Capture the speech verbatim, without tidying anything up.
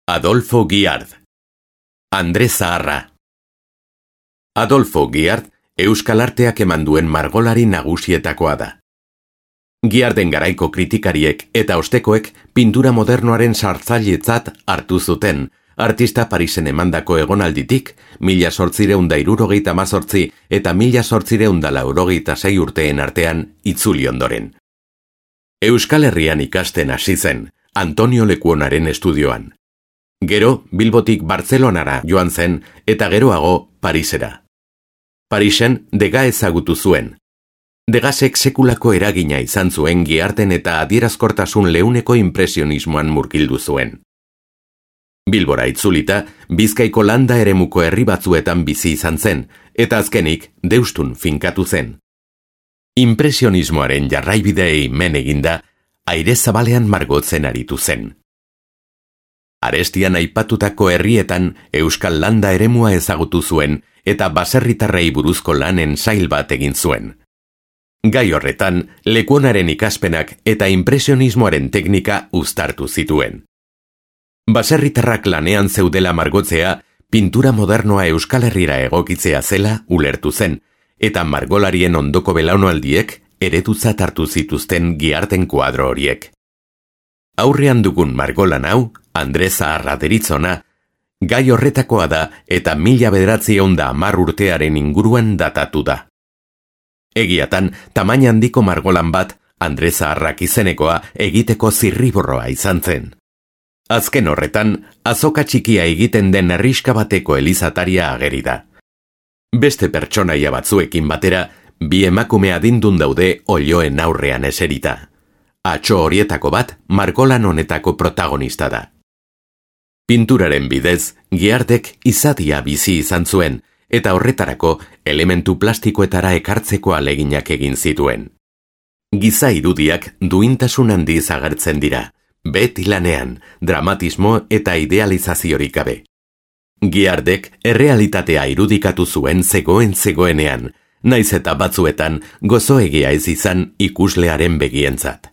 Adolfo Guiard. Andre Zaharra. Adolfo Guiard, euskal arteak eman duen margolari nagusietakoa da. Guiarden garaiko kritikariek eta ostekoek pintura modernoaren sartzailetzat hartu zuten, artista Parisen emandako egonalditik, mila zortzireun da hirurogeita hamazortzi eta mila zortzireun da laurogeita sei urteen artean itzuli ondoren. Euskal Herrian ikasten hasi zen, Antonio Lekuonaren estudioan. Gero, Bilbotik Bartzelonara joan zen eta geroago Parisera. Parisen Degas ezagutu zuen. Degasek sekulako eragina izan zuen Guiarden eta adierazkortasun leuneko impresionismoan murgildu zuen. Bilbora itzulita, Bizkaiko landa eremuko herri batzuetan bizi izan zen, eta azkenik Deustun finkatu zen. Impresionismoaren jarraibideei men eginda, aire zabalean margotzen aritu zen. Arestian aipatutako herrietan euskal landa eremua ezagutu zuen eta baserritarrei buruzko lanen sail bat egin zuen. Gai horretan, Lekuonaren ikaspenak eta impresionismoaren teknika uztartu zituen. Baserritarrak lanean zeudela margotzea, pintura modernoa Euskal Herrira egokitzea zela ulertu zen, eta margolarien ondoko belaunaldiek eredutzat hartu zituzten Guiarden kuadro horiek. Aurrean dugun margolan hau, Andre Zaharra deritzona, gai horretakoa da eta mila bederatziehun da hamar urtearen inguruan datatu da. Egiatan, tamaina handiko margolan bat, Andre Zaharrak izenekoa egiteko zirriborroa izan zen. Azken horretan, azoka txikia egiten den herriska bateko elizataria ageri da. Beste pertsonaia batzuekin batera, bi emakume adindun daude oiloen aurrean eserita. Atxo horietako bat, margolan honetako protagonista da. Pinturaren bidez, Guiardek izadia bizi izan zuen, eta horretarako elementu plastikoetara ekartzeko aleginak egin zituen. Giza irudiak duintasun handiz agertzen dira, beti lanean, dramatismo eta idealizaziorik gabe. Guiardek errealitatea irudikatu zuen zegoen zegoenean, naiz eta batzuetan gozoegia ez izan ikuslearen begientzat.